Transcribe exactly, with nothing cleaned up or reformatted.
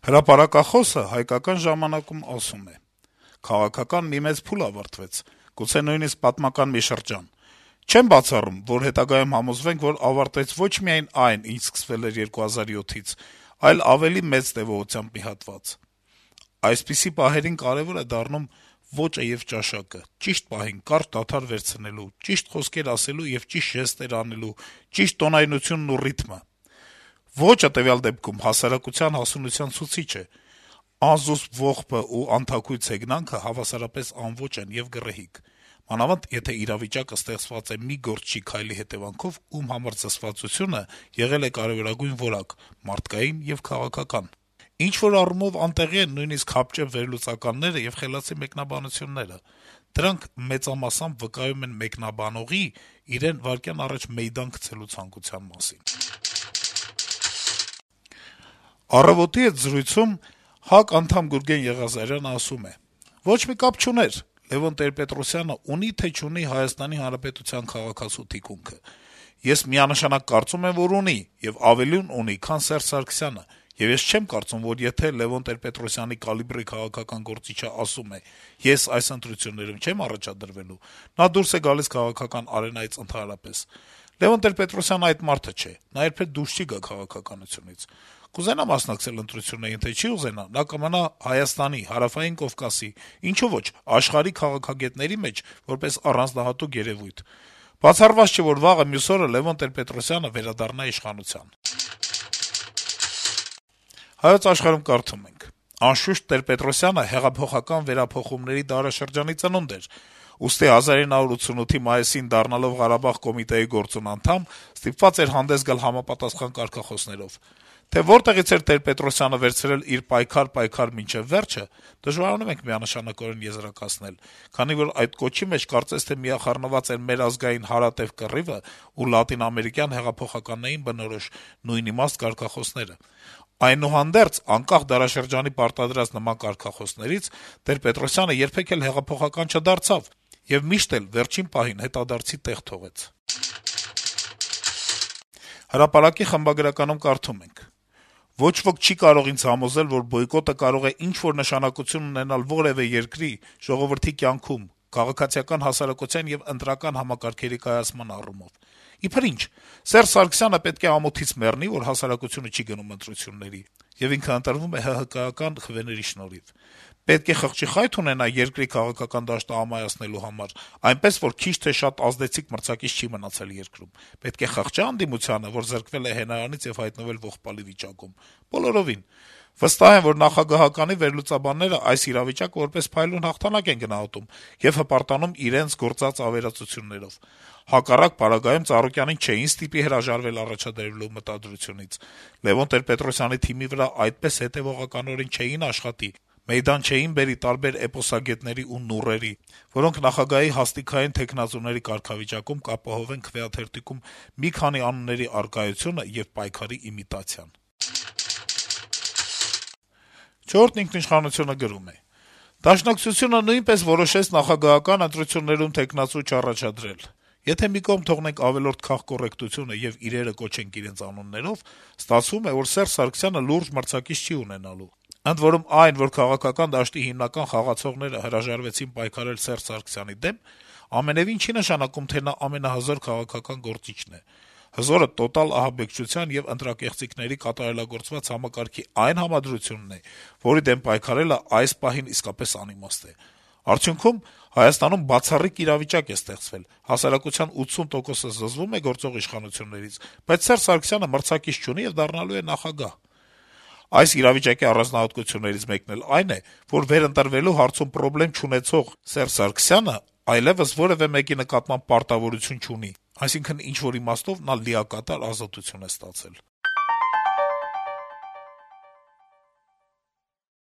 Հրապարակախոսը «Հայկական ժամանակ»-ում ասում է. - «Քաղաքական մի մեծ փուլ ավարտվեց, գուցե նույնիսկ պատմական մի շրջան: Չեմ բացառում, որ հետագայում համոզվենք, որ ավարտվեց ոչ միայն այն, ինչ սկսվել էր երկու հազար յոթից, այլ ավելի մեծ տեւողությամբ մի հատված: Այսպիսի պահերին կարեւոր է դառնում ոճը եւ ճաշակը, ճիշտ պահին կարճ դադար վերցնելու, ճիշտ խոսքեր ասելու եւ ճիշտ ժեստեր անելու, ճիշտ տոնայնությունն ու ռիթմը: Ոճը տվյալ դեպքում հասարակության հասունության ցուցիչ է: Անզուսպ ողբը ու անթաքույց հեգնանքը հավասարապես անոճ են եւ գռեհիկ: Մանավանդ եթե իրավիճակը ստեղծված է մի գործչի քայլի հետեւանքով, ում համար զսպվածությունը եղել է կարեւորագույն որակ, մարդկային եւ քաղաքական: Ինչ-որ առումով անտեղի են նույնիսկ հապճեպ վերլուծականները եւ խելացի մեկնաբանությունները: Դրանք մեծամասամբ վկայում են մեկնաբանողի իրեն վայրկյան առաջ մեյդան գցելու ցանկության մասին»: «Առավոտ»-ի հետ զրույցում ՀԱԿ անդամ Գուրգեն Եղիազարյանը ասում է. - «Ոչ մի կապ չուներ` Լեւոն Տեր-Պետրոսյանը ունի թե չունի Հայաստանի Հանրապետության քաղաքացու թիկունքը: Ես միանշանակ կարծում եմ, որ ունի, եւ ավելին ունի, քան Սերժ Սարգսյանը: Եվ ես չեմ կարծում, որ եթե Լեւոն Տեր-Պետրոսյանի կալիբրի քաղաքական գործիչը ասում է` ես այս ընտրություններում չեմ առաջադրվելու, նա դուրս է գալիս քաղաքական արենայից ընդհանրապես: Լեւոն Տեր-Պետրոսյանը այդ մարդը չէ, նա երբեք դուրս չի գա քաղաքականությունից: Կուզենա մասնակցել ընտրություններին, թե չի ուզենա, նա կմնա Հայաստանի, Հարավային Կովկասի, ինչո՞ւ ոչ, աշխարհի քաղաքագետների մեջ որպես առանձնահատուկ երեւույթ: Բացառված չէ, որ վաղը մյուս օրը Լեւոն Տեր-Պետրոսյանը վերադառնա իշխանության»: «Հայոց Աշխարհ»-ում կարդում ենք. - «Անշուշտ, Տեր-Պետրոսյանը հեղափոխական վերափոխումների դարաշրջանի ծնունդ էր, ուստի հազար ինը հարյուր ութսունութի մայիսին դառնալով Ղարաբաղ կոմիտեի գործուն անդամ` ստիպված էր հանդես գալ համապատասխան կարգախոսներով: Թե որտեղից էր Տեր-Պետրոսյանը վերցրել իր «պայքար-պայքար մինչեւ վերջը», դժվարանում ենք միանշանակ եզրակացնել, քանի որ այդ կոչի մեջ կարծես թե միախառնված էր մեր ազգային հարատեւ կռիվը ու լատինաամերիկյան հեղափոխականներին բնորոշ նույնիմաստ կարգախոսները: Այնուհանդերձ, անկախ դարաշրջանի պարտադրած նման կարգախոսներից, Տեր-Պետրոսյանը երբեք էլ հեղափոխական չդարձավ եւ միշտ էլ վերջին պահին հետադարձի տեղ թողեց»: «Հրապարակ»-ի խմբագրականում կարդում ենք. - «Ոչ ոք չի կարող ինձ համոզել, որ բոյկոտը կարող է ինչ-որ նշանակություն ունենալ որեւէ երկրի, ժողովրդի կյանքում, քաղաքացիական հասարակության եւ ընտրական համակարգերի կայացման առումով: Իբր ինչ, Սերժ Սարգսյանը պետք է ամոթից մեռնի, որ հասարակությունը չի գնում ընտրությունների, եւ ինքը ընտրվում է ՀՀԿ-ական խվեների շնորհիվ: Պետք է խղճի խայթ ունենա երկրի քաղաքական դաշտը ամայացնելու համար, այնպես որ քիչ թե շատ ազդեցիկ մրցակից չի մնացել երկրում: Պետք է խղճա՞ անդիմությանը, որ զրկվել է հենարանից եւ հայտնվել ողբալի վիճակում: Բոլորովին: Վստահ եմ, որ նախագահականի վերլուծաբանները այս իրավիճակը որպես փայլուն հաղթանակ են գնահատում եւ հպարտանում իրենց գործած ավերածություններով: Հակառակ պարագայում Ծառուկյանին չէին ստիպի հրաժարվել առաջադրելու մտադրությունից, Լեւոն Տեր-Պետրոսյանի թիմի վրա այդպես հետեւողականորեն չէին աշխատի, մեյդան չէին բերի տարբեր էպոսագետների ու նուրերի, որոնք նախագահի հաստիքային թեկնածուների կարգավիճակում կապահովեն քվեաթերթիկում մի քանի անունների առկայությունը եւ պայքարի իմիտացիան»: «Չորրորդ ինքնիշխանություն»-ը գրում է. - «Դաշնակցությունը նույնպես որոշեց նախագահական ընտրություններում թեկնածու չառաջադրել: Եթե մի կողմ թողնենք ավելորդ քաղկոռեկտությունը եւ իրերը կոչենք իրենց անուններով, ստացվում է, որ Սերժ Սարգսյանը լուրջ մրցակից չի ունենալու: Ընդ որում, այն, որ քաղաքական դաշտի հիմնական խաղացողները հրաժարվեցին պայքարել Սերժ Սարգսյանի դեմ, ամենեւին չի նշանակում, թե նա ամենահզոր քաղաքական գործիչն է: Հզորը տոտալ ահաբեկչության եւ ընտրակեղծիքների կատարելագործված համակարգի այն համադրությունն է, որի դեմ պայքարելը այս պահին իսկապես անիմաստ է: Արդյունքում Հայաստանում բացառիկ իրավիճակ է ստեղծվել. հասարակության ութսուն տոկոսը զզվում է գործող իշխանություններից, բայց Սերժ Սարգսյանը մրցակից չունի եւ դառնալու է նախագահ: Այս իրավիճակի առանձնահատկություններից մեկն էլ այն է, որ վերընտրվելու հարցում պրոբլեմ չունեցող Սերժ Սարգսյանը այլեւս որեւէ մեկի նկատմամբ պարտավորություն չունի, այսինքն` ինչ-որ իմաստով նա լիակատար ազատություն է ստացել»: